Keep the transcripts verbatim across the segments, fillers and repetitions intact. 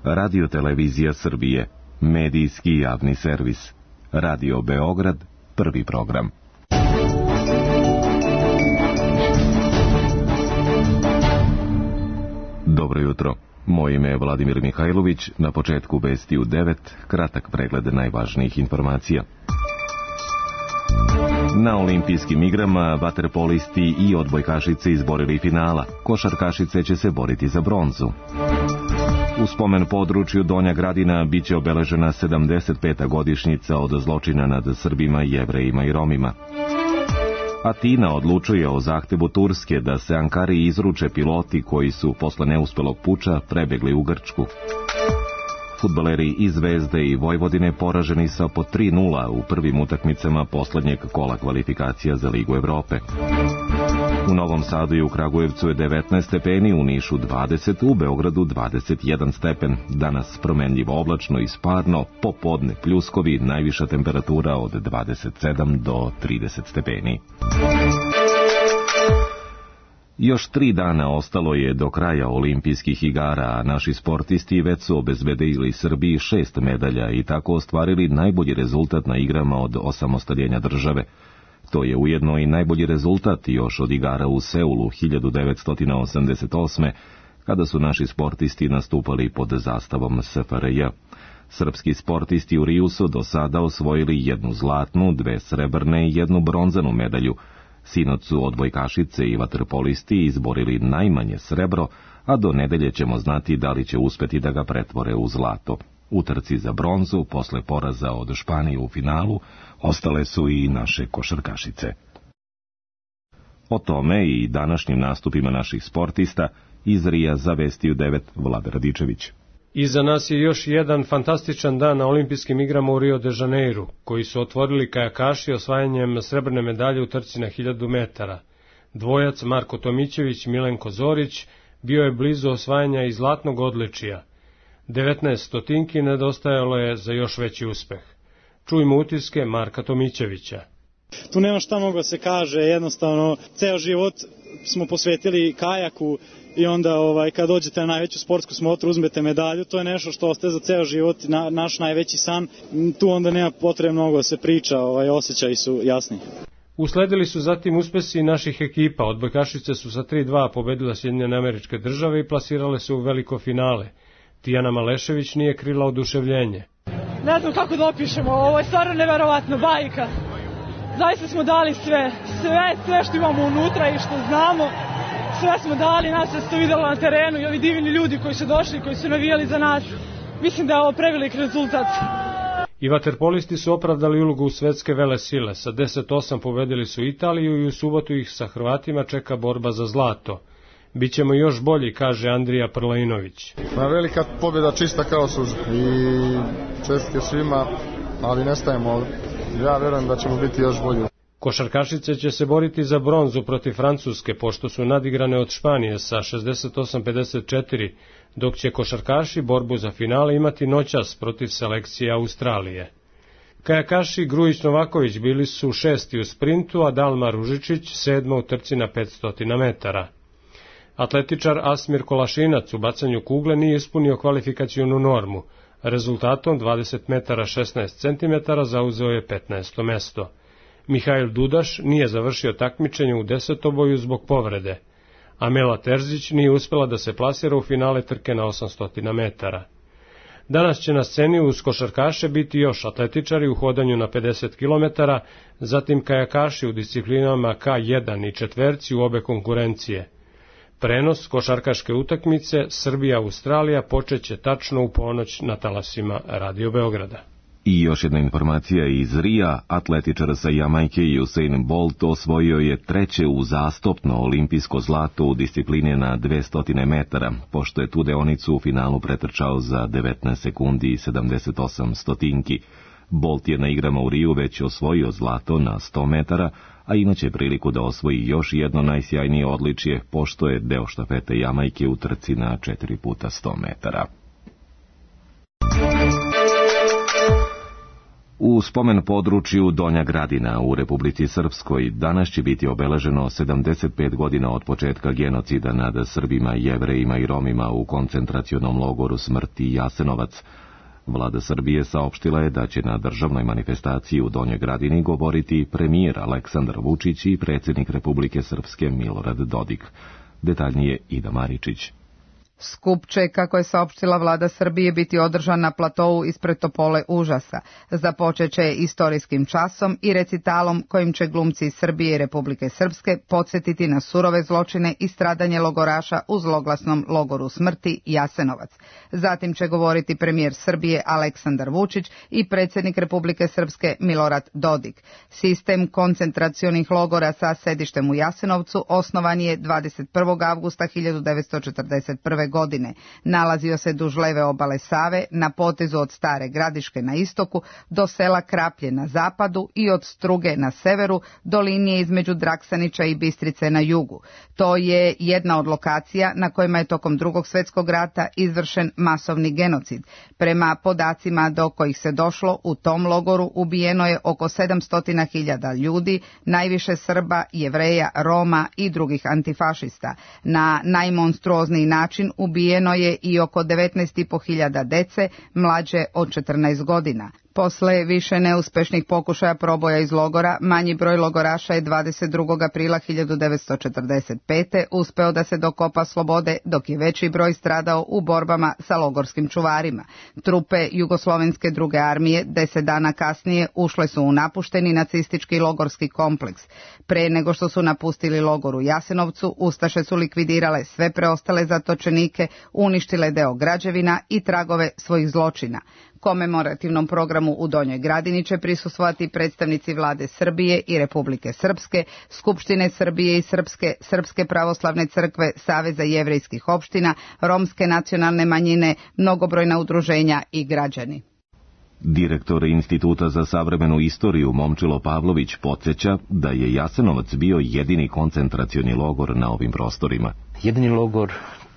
Radio Televizija Srbije, medijski javni servis. Radio Beograd, prvi program. Dobro jutro. Moje ime je Vladimir Mihajlović. Na početku vesti u devet, kratak pregled najvažnijih informacija. Na olimpijskim igrama vaterpolisti i odbojkašice izborili finala. Košarkašice će se boriti za bronzu. U spomen području Donja Gradina biće obeležena sedamdeset peta godišnjica od zločina nad Srbima, Jevrejima i Romima. Atina odlučuje o zahtevu Turske da se Ankari izruče piloti koji su posle neuspelog puča prebegli u Grčku. Fudbaleri iz Zvezde i Vojvodine poraženi sa po tri nula u prvim utakmicama poslednjeg kola kvalifikacija za Ligu Evrope. U Novom Sadu i u Kragujevcu je devetnaest stepeni, u Nišu dvadeset, u Beogradu dvadeset jedan stepen. Danas promenljivo oblačno i sparno, popodne pljuskovi, najviša temperatura od dvadeset sedam do trideset stepeni. Još tri dana ostalo je do kraja olimpijskih igara, a naši sportisti već su obezbedili Srbiji šest medalja i tako ostvarili najbolji rezultat na igrama od osamostaljenja države. To je ujedno i najbolji rezultat još od igara u Seulu hiljadu devetsto osamdeset osme. kada su naši sportisti nastupali pod zastavom S F R J. Srpski sportisti u Riju su do sada osvojili jednu zlatnu, dve srebrne i jednu bronzanu medalju. Sinoć su odbojkašice i vaterpolisti izborili najmanje srebro, a do nedelje ćemo znati da li će uspeti da ga pretvore u zlato. U trci za bronzu, posle poraza od Španije u finalu, ostale su i naše košarkašice. O tome i današnjim nastupima naših sportista iz Rija za Vesti u devet Vlada Radičević. Iza nas je još jedan fantastičan dan na olimpijskim igrama u Rio de Janeiru, koji su otvorili kajakaši osvajanjem srebrne medalje u trci na hiljadu metara. Dvojac Marko Tomićević, Milenko Zorić bio je blizu osvajanja i zlatnog odličija. devetnaest stotinki nedostajalo je za još veći uspeh. Čujmo utiske Marka Tomićevića. Tu nema šta mnogo da se kaže, jednostavno ceo život smo posvetili kajaku i onda ovaj, kad dođete na najveću sportsku smotru, uzmete medalju, to je nešto što ostaje za ceo život, na, naš najveći san, tu onda nema potrebe mnogo da se priča, ovaj, osjećaji su jasni. Usledili su zatim uspesi naših ekipa, odbojkašice su sa tri dva pobedile Sjedinjene Američke Države i plasirale se u veliko finale. Tijana Malešević nije krila oduševljenje. Ne znam kako da opišemo, ovo je stvarno neverovatno, bajka. Zaista smo dali sve, sve, sve što imamo unutra i što znamo, sve smo dali, nas se to videlo na terenu i ovi divni ljudi koji su došli, koji su navijali za nas. Mislim da je ovo prevelik rezultat. I vaterpolisti su opravdali ulogu u svetske vele sile, sa deset osam pobedili su Italiju i u subotu ih sa Hrvatima čeka borba za zlato. Bićemo još bolji, kaže Andrija Prlajinović. Pa velika pobjeda, čista kao suza i čestitke svima, ali ne stajemo. Ja verujem da ćemo biti još bolji. Košarkašice će se boriti za bronzu protiv Francuske, pošto su nadigrane od Španije sa šezdeset osam pedeset četiri, dok će košarkaši borbu za finale imati noćas protiv selekcije Australije. Kajakaši Grujić Novaković bili su šesti u sprintu, a Dalma Ružičić sedma u trci na petsto metara. Atletičar Asmir Kolašinac u bacanju kugle nije ispunio kvalifikacionu normu. Rezultatom dvadeset metara šesnaest centimetara zauzeo je petnaesto mesto. Mihajl Dudaš nije završio takmičenje u desetoboju zbog povrede. Amela Terzić nije uspela da se plasira u finale trke na osamsto metara. Danas će na sceni uz košarkaše biti još atletičari u hodanju na pedeset kilometara, zatim kajakaši u disciplinama K jedan i četverci u obe konkurencije. Prenos košarkaške utakmice Srbija-Australija počeće tačno u ponoć na talasima Radio Beograda. I još jedna informacija iz Rija, atletičar sa Jamajke Usain Bolt osvojio je treće uzastopno olimpijsko zlato u disciplini na dvesta metara, pošto je tu deonicu u finalu pretrčao za devetnaest sekundi i sedamdeset osam stotinki. Bolt je na igrama u Riju već osvojio zlato na sto metara, a imaće priliku da osvoji još jedno najsjajnije odličje, pošto je deo štafete Jamajke u trci na četiri puta sto metara. U U spomen području Donja Gradina u Republici Srpskoj danas će biti obeleženo sedamdeset pet godina od početka genocida nad Srbima, Jevrejima i Romima u koncentracionom logoru smrti Jasenovac. Vlada Srbije saopštila je da će na državnoj manifestaciji u Donjoj Gradini govoriti premijer Aleksandar Vučić i predsjednik Republike Srpske Milorad Dodik. Detaljnije Ida Maričić. Skup će, kako je saopštila vlada Srbije, biti održan na platovu ispred Topole užasa. Započeće istorijskim časom i recitalom kojim će glumci iz Srbije i Republike Srpske podsjetiti na surove zločine i stradanje logoraša u zloglasnom logoru smrti Jasenovac. Zatim će govoriti premijer Srbije Aleksandar Vučić i predsjednik Republike Srpske Milorad Dodik. Sistem koncentracionih logora sa sedištem u Jasenovcu osnovan je dvadeset prvog avgusta hiljadu devetsto četrdeset prve. godine. Nalazio se duž leve obale Save, na potezu od Stare Gradiške na istoku do sela Kraplje na zapadu i od Struge na severu do linije između Draksanića i Bistrice na jugu. To je jedna od lokacija na kojima je tokom Drugog svjetskog rata izvršen masovni genocid. Prema podacima do kojih se došlo, u tom logoru ubijeno je oko sedamsto hiljada ljudi, najviše Srba, Jevreja, Roma i drugih antifašista. Na najmonstruozniji način ubijeno je i oko devetnaest i po hiljada dece mlađe od četrnaest godina. Posle više neuspešnih pokušaja proboja iz logora, manji broj logoraša je dvadeset drugog aprila hiljadu devetsto četrdeset pete. uspeo da se dokopa slobode, dok je veći broj stradao u borbama sa logorskim čuvarima. Trupe Jugoslovenske druge armije deset dana kasnije ušle su u napušteni nacistički logorski kompleks. Pre nego što su napustili logor u Jasenovcu, ustaše su likvidirale sve preostale zatočenike, uništile deo građevina i tragove svojih zločina. Komemorativnom programu u Donjoj Gradini će prisustvovati predstavnici vlade Srbije i Republike Srpske, Skupštine Srbije i Srpske, Srpske pravoslavne crkve, Saveza jevrejskih opština, romske nacionalne manjine, mnogobrojna udruženja i građani. Direktor Instituta za savremenu istoriju Momčilo Pavlović podsjeća da je Jasenovac bio jedini koncentracioni logor na ovim prostorima. Jedini logor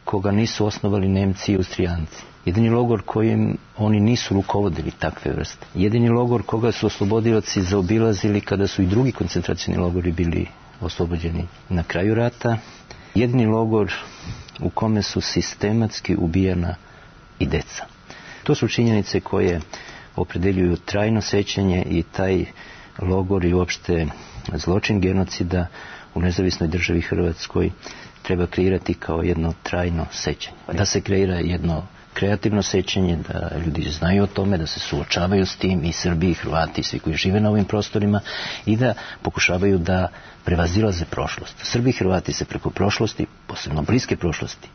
koga nisu osnovali Nemci i Austrijanci. Jedini logor kojim oni nisu rukovodili takve vrste. Jedini logor koga su oslobodioci zaobilazili kada su i drugi koncentracioni logori bili oslobođeni na kraju rata. Jedini logor u kome su sistematski ubijana i deca. To su činjenice koje opredeljuju trajno sećanje i taj logor i uopšte zločin genocida u nezavisnoj državi Hrvatskoj treba kreirati kao jedno trajno sećanje. Da se kreira jedno kreativno sećanje, da ljudi znaju o tome, da se suočavaju s tim i Srbi i Hrvati i svi koji žive na ovim prostorima i da pokušavaju da prevazilaze prošlost. Srbi i Hrvati se preko prošlosti, posebno bliske prošlosti,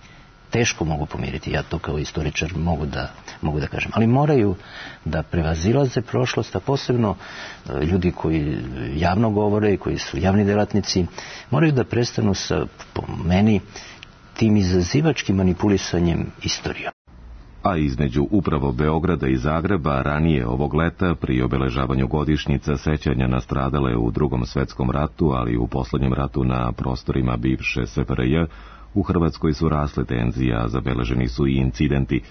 teško mogu pomiriti, ja to kao istoričar mogu da, mogu da kažem, ali moraju da prevazilaze prošlost, a posebno ljudi koji javno govore, koji su javni delatnici, moraju da prestanu sa, po meni, tim izazivačkim manipulisanjem istorijom. A između upravo Beograda i Zagreba ranije ovog leta pri obeležavanju godišnjica sećanja na stradale u Drugom svetskom ratu, ali i u poslednjem ratu na prostorima bivše S F R J, u Hrvatskoj su rasle tenzije, a zabeleženi su i incidenti.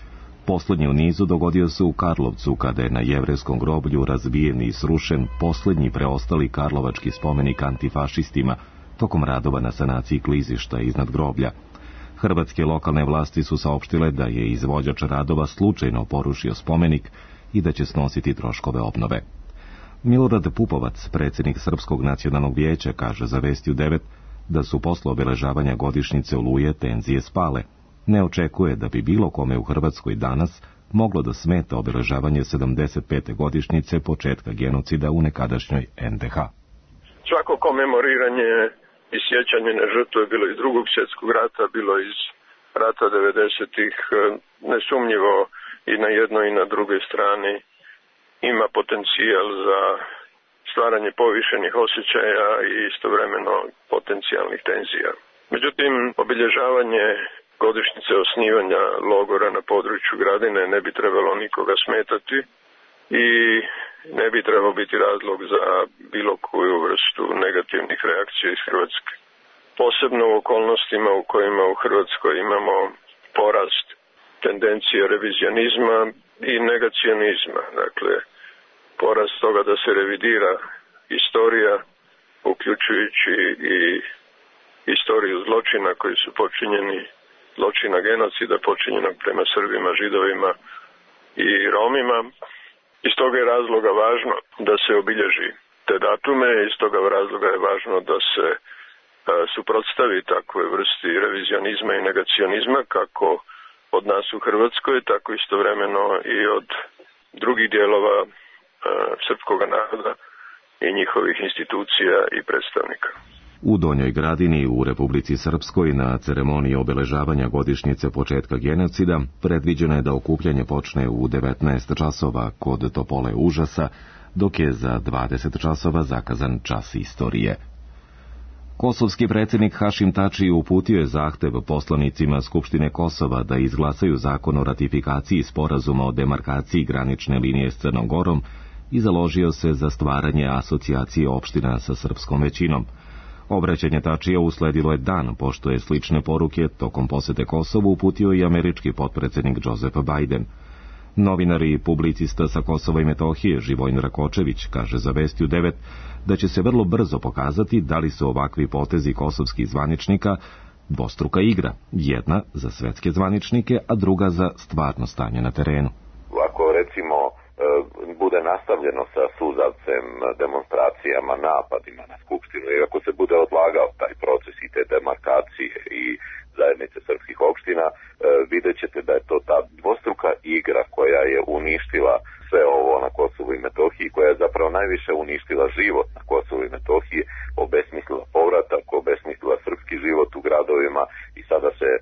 Poslednji u nizu dogodio se u Karlovcu, kada je na jevrejskom groblju razbijen i srušen poslednji preostali karlovački spomenik antifašistima tokom radova na sanaciji klizišta iznad groblja. Hrvatske lokalne vlasti su saopštile da je izvođač radova slučajno porušio spomenik i da će snositi troškove obnove. Milorad Pupovac, predsjednik Srpskog nacionalnog vijeća, kaže za Vesti u devet da su posle obeležavanja godišnjice Oluje tenzije spale. Ne očekuje da bi bilo kome u Hrvatskoj danas moglo da smeta obeležavanje sedamdeset pete godišnjice početka genocida u nekadašnjoj N D H. Svako komemoriranje i sjećanje na žrtve bilo iz Drugog svjetskog rata, bilo iz rata devedesetih, nesumnjivo i na jednoj i na drugoj strani ima potencijal za stvaranje povišenih osjećaja i istovremeno potencijalnih tenzija. Međutim, obilježavanje godišnjice osnivanja logora na području Gradine ne bi trebalo nikoga smetati i ne bi trebao biti razlog za bilo koju vrstu negativnih reakcija iz Hrvatske. Posebno u okolnostima u kojima u Hrvatskoj imamo porast tendencije revizionizma i negacionizma. Dakle, porast toga da se revidira istorija, uključujući i istoriju zločina koji su počinjeni, zločina genocida počinjenog prema Srbima, Židovima i Romima. Iz toga je razloga važno da se obilježi te datume, iz toga razloga je važno da se a, suprotstavi takve vrsti revizionizma i negacionizma kako od nas u Hrvatskoj, tako istovremeno i od drugih dijelova a, srpskog naroda i njihovih institucija i predstavnika. U Donjoj Gradini u Republici Srpskoj na ceremoniji obeležavanja godišnjice početka genocida predviđeno je da okupljanje počne u devetnaest časova kod Topole užasa, dok je za dvadeset časova zakazan čas istorije. Kosovski predsjednik Hašim Tači uputio je zahtev poslanicima Skupštine Kosova da izglasaju zakon o ratifikaciji sporazuma o demarkaciji granične linije s Crnom Gorom i založio se za stvaranje asocijacije opština sa srpskom većinom. Obraćanje Tačija usledilo je dan, pošto je slične poruke tokom posete Kosovu uputio i američki potpredsjednik Joseph Biden. Novinar i publicista sa Kosova i Metohije Živojin Rakočević kaže za Vestiju devet da će se vrlo brzo pokazati da li su ovakvi potezi kosovskih zvaničnika dvostruka igra, jedna za svetske zvaničnike, a druga za stvarno stanje na terenu. Ako recimo bude nastavljeno sa suzavcem, demonstracijama, napadima na Skupštinu i ako se bude odlagao taj proces i te demarkacije i zajednice srpskih opština, vidjet ćete da je to ta dvostruka igra koja je uništila sve ovo na Kosovu i Metohiji, koja je zapravo najviše uništila život na Kosovu i Metohiji, obesmislila povratak, obesmislila srpski život u gradovima i sada se e,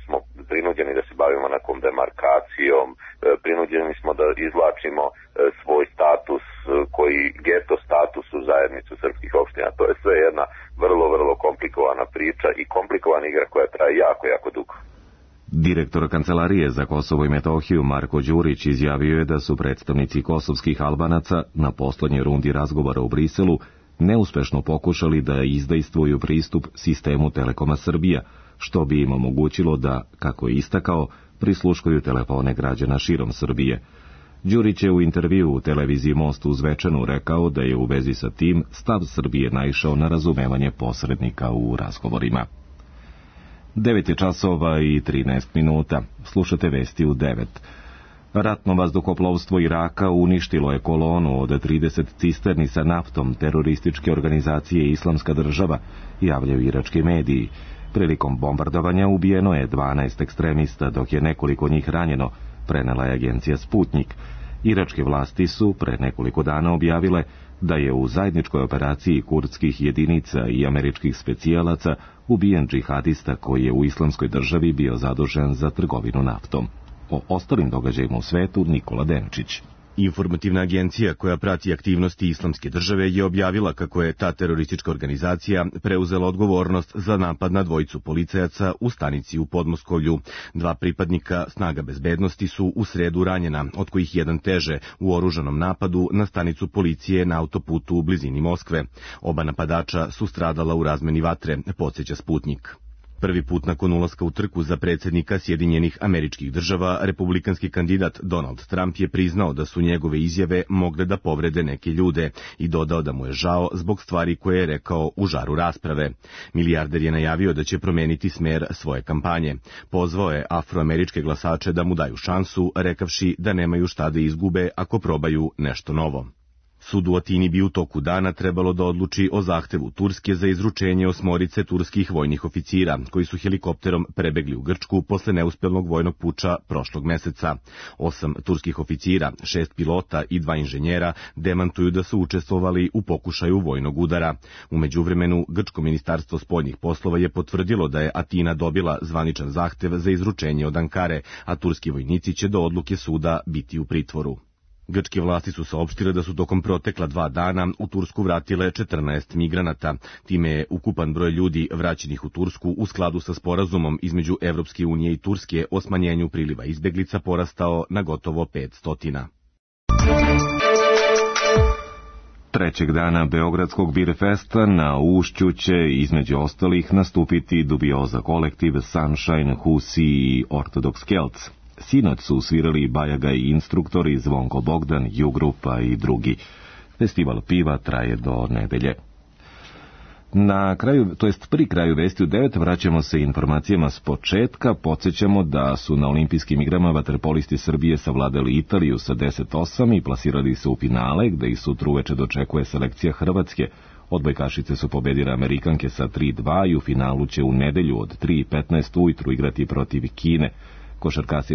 smo prinuđeni da se bavimo nekom demarkacijom, e, prinuđeni smo da izvlačimo e, svoj status e, koji geto status u zajednicu srpskih opština. To je sve jedna vrlo, vrlo komplikovana priča i komplikovana igra koja traje jako, jako dugo. Direktor Kancelarije za Kosovo i Metohiju Marko Đurić izjavio je da su predstavnici kosovskih Albanaca na poslednjoj rundi razgovora u Briselu neuspešno pokušali da izdejstvuju pristup sistemu Telekoma Srbija, što bi im omogućilo da, kako je istakao, prisluškuju telefone građana širom Srbije. Đurić je u intervju u televiziji Most u Zvečanu rekao da je u vezi sa tim stav Srbije naišao na razumevanje posrednika u razgovorima. devet je časova i trinaest minuta. Slušate vesti u devet. Ratno vazduhoplovstvo Iraka uništilo je kolonu od trideset cisterni sa naftom terorističke organizacije Islamska država, javljaju irački mediji. Prilikom bombardovanja ubijeno je dvanaest ekstremista, dok je nekoliko njih ranjeno, prenela je agencija Sputnik. Iračke vlasti su pre nekoliko dana objavile da je u zajedničkoj operaciji kurdskih jedinica i američkih specijalaca ubijen džihadista koji je u Islamskoj državi bio zadužen za trgovinu naftom. O ostalim događajima u svetu Nikola Denčić. Informativna agencija koja prati aktivnosti Islamske države je objavila kako je ta teroristička organizacija preuzela odgovornost za napad na dvojicu policajaca u stanici u Podmoskovlju. Dva pripadnika snaga bezbednosti su u sredu ranjena, od kojih jedan teže u oružanom napadu na stanicu policije na autoputu u blizini Moskve. Oba napadača su stradala u razmeni vatre, podsjeća Sputnik. Prvi put nakon ulaska u trku za predsjednika Sjedinjenih Američkih Država, republikanski kandidat Donald Trump je priznao da su njegove izjave mogle da povrede neke ljude i dodao da mu je žao zbog stvari koje je rekao u žaru rasprave. Milijarder je najavio da će promeniti smer svoje kampanje. Pozvao je afroameričke glasače da mu daju šansu, rekavši da nemaju šta da izgube ako probaju nešto novo. Sud u Atini bi u toku dana trebalo da odluči o zahtevu Turske za izručenje osmorice turskih vojnih oficira, koji su helikopterom prebegli u Grčku posle neuspelnog vojnog puča prošlog meseca. Osam turskih oficira, šest pilota i dva inženjera demantuju da su učestvovali u pokušaju vojnog udara. U međuvremenu, Grčko ministarstvo spoljnih poslova je potvrdilo da je Atina dobila zvaničan zahtev za izručenje od Ankare, a turski vojnici će do odluke suda biti u pritvoru. Grčke vlasti su saopštile da su tokom protekla dva dana u Tursku vratile četrnaest migranata. Time je ukupan broj ljudi vraćenih u Tursku u skladu sa sporazumom između Evropske unije i Turske o smanjenju priliva izbeglica porastao na gotovo petsto. Trećeg dana Beogradskog Birfesta na Ušću će između ostalih nastupiti dubioza kolektiv Sunshine, Husi i Orthodox Celts. Sinoć su svirali Bajaga i instruktori, Zvonko Bogdan, Jugrupa i drugi. Festival piva traje do nedelje. Na kraju, to jest pri kraju vesti u devet, vraćamo se informacijama s početka. Podsjećamo da su na olimpijskim igrama vaterpolisti Srbije savladali Italiju sa deset osam i plasirali se u finale, gde ih sutra uveče dočekuje selekcija Hrvatske. Odbojkašice su pobedile Amerikanke sa tri dva i u finalu će u nedelju od tri petnaest ujutru igrati protiv Kine.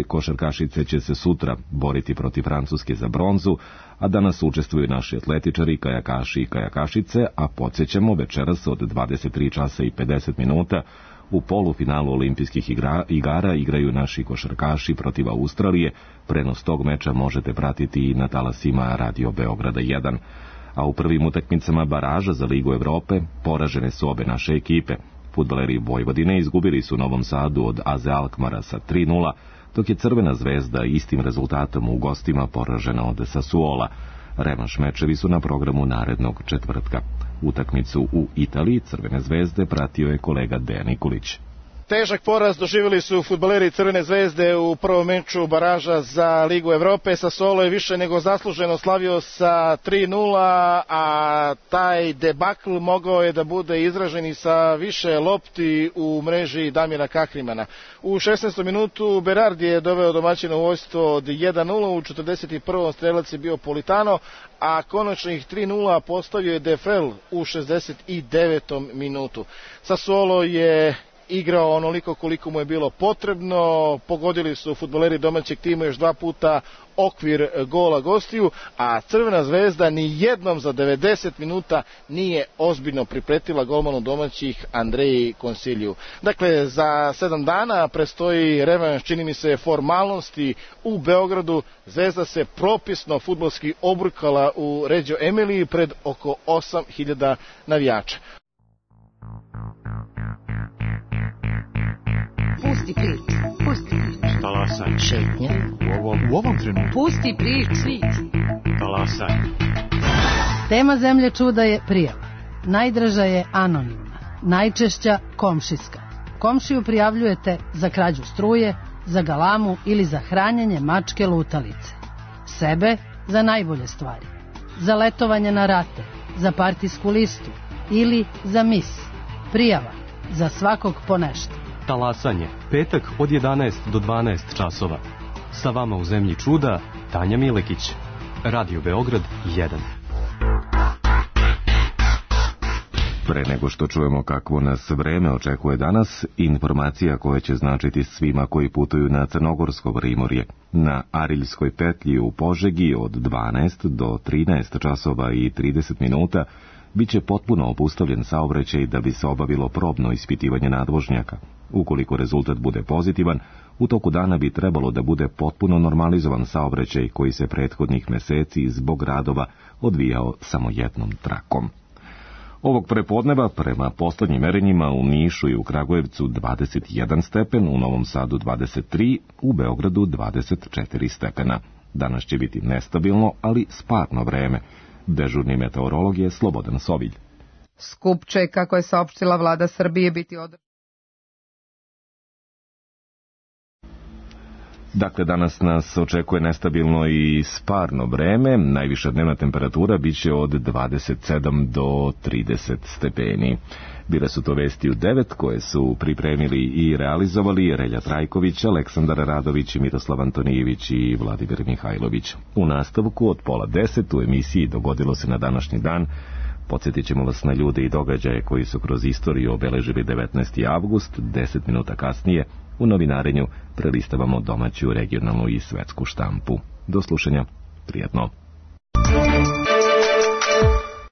Košarkašice će se sutra boriti protiv Francuske za bronzu, a danas učestvuju naši atletičari, kajakaši i kajakašice, a podsjećamo večeras od dvadeset tri časa i pedeset minuta u polufinalu olimpijskih igra, igara igraju naši košarkaši protiv Australije. Prenos tog meča možete pratiti i na talasima Radio Beograda jedan. A u prvim utakmicama baraža za Ligu Evrope poražene su obe naše ekipe. Fudbaleri Vojvodine izgubili su u Novom Sadu od A Z Alkmara sa tri nula, dok je Crvena zvezda istim rezultatom u gostima poražena od Sassuola. Revanš mečevi su na programu narednog četvrtka. Utakmicu u Italiji Crvene zvezde pratio je kolega Dejan Nikolić. Težak poraz doživjeli su fudbaleri Crvene zvezde u prvom meču baraža za Ligu Evrope. Sassuolo je više nego zasluženo slavio sa tri nula, a taj debakl mogao je da bude izražen i sa više lopti u mreži Damira Kahrimana. U šesnaestom minutu Berardi je doveo domaćina u vojstvo od jedan nula, u četrdeset prvom strelac je bio Politano, a konačnih tri nula postavio je Defrel u šezdeset devetom minutu. Sassuolo je igrao onoliko koliko mu je bilo potrebno, pogodili su fudbaleri domaćeg tima još dva puta okvir gola gostiju, a Crvena zvezda ni jednom za devedeset minuta nije ozbiljno pripretila golmanu domaćih Andreji Konsiliju. Dakle, za sedam dana prestoji revanš, čini mi se, formalnosti u Beogradu. Zvezda se propisno fudbalski obrukala u Reggio Emiliji pred oko osam hiljada navijača. Pusti prič, pusti prič. Talasaj. Šetnja. U ovom, u ovom trenutku. Pusti prič. Talasaj. Tema Zemlje čuda je prijava. Najdraža je anonimna, najčešća komšijska. Komšiju prijavljujete za krađu struje, za galamu ili za hranjenje mačke lutalice. Sebe za najbolje stvari. Za letovanje na rate, za partijsku listu ili za mis. Prijava za svakog po nešto. Talasanje, petak od jedanaest do dvanaest časova. Sa vama u Zemlji čuda, Tanja Milekić. Radio Beograd jedan. Pre nego što čujemo kakvo nas vreme očekuje danas, informacija koja će značiti svima koji putuju na Crnogorsko primorje. Na Ariljskoj petlji u Požegi od dvanaest do trinaest časova i trideset minuta biće potpuno obustavljen saobraćaj da bi se obavilo probno ispitivanje nadvožnjaka. Ukoliko rezultat bude pozitivan, u toku dana bi trebalo da bude potpuno normalizovan saobraćaj koji se prethodnih meseci zbog radova odvijao samo jednom trakom. Ovog prepodneva, prema poslednjim merenjima, u Nišu i u Kragujevcu dvadeset jedan stepen, u Novom Sadu dvadeset tri, u Beogradu dvadeset četiri stepena. Danas će biti nestabilno, ali sparno vreme. Dežurni meteorolog je Slobodan Sovilj. Skup će, kako je saopštila vlada Srbije, biti održan. Dakle, danas nas očekuje nestabilno i sparno vreme. Najviša dnevna temperatura biće od dvadeset sedam do trideset stepeni. Bile su to vesti u devet koje su pripremili i realizovali Relja Trajković, Aleksandar Radović, Miroslav Antonijević i Vladimir Mihajlović. U nastavku od pola deset u emisiji Dogodilo se na današnji dan podsjetit ćemo vas na ljude i događaje koji su kroz istoriju obeležili devetnaesti avgust. Deset minuta kasnije u novinarenju prelistavamo domaću, regionalnu i svetsku štampu. Do slušanja, prijatno.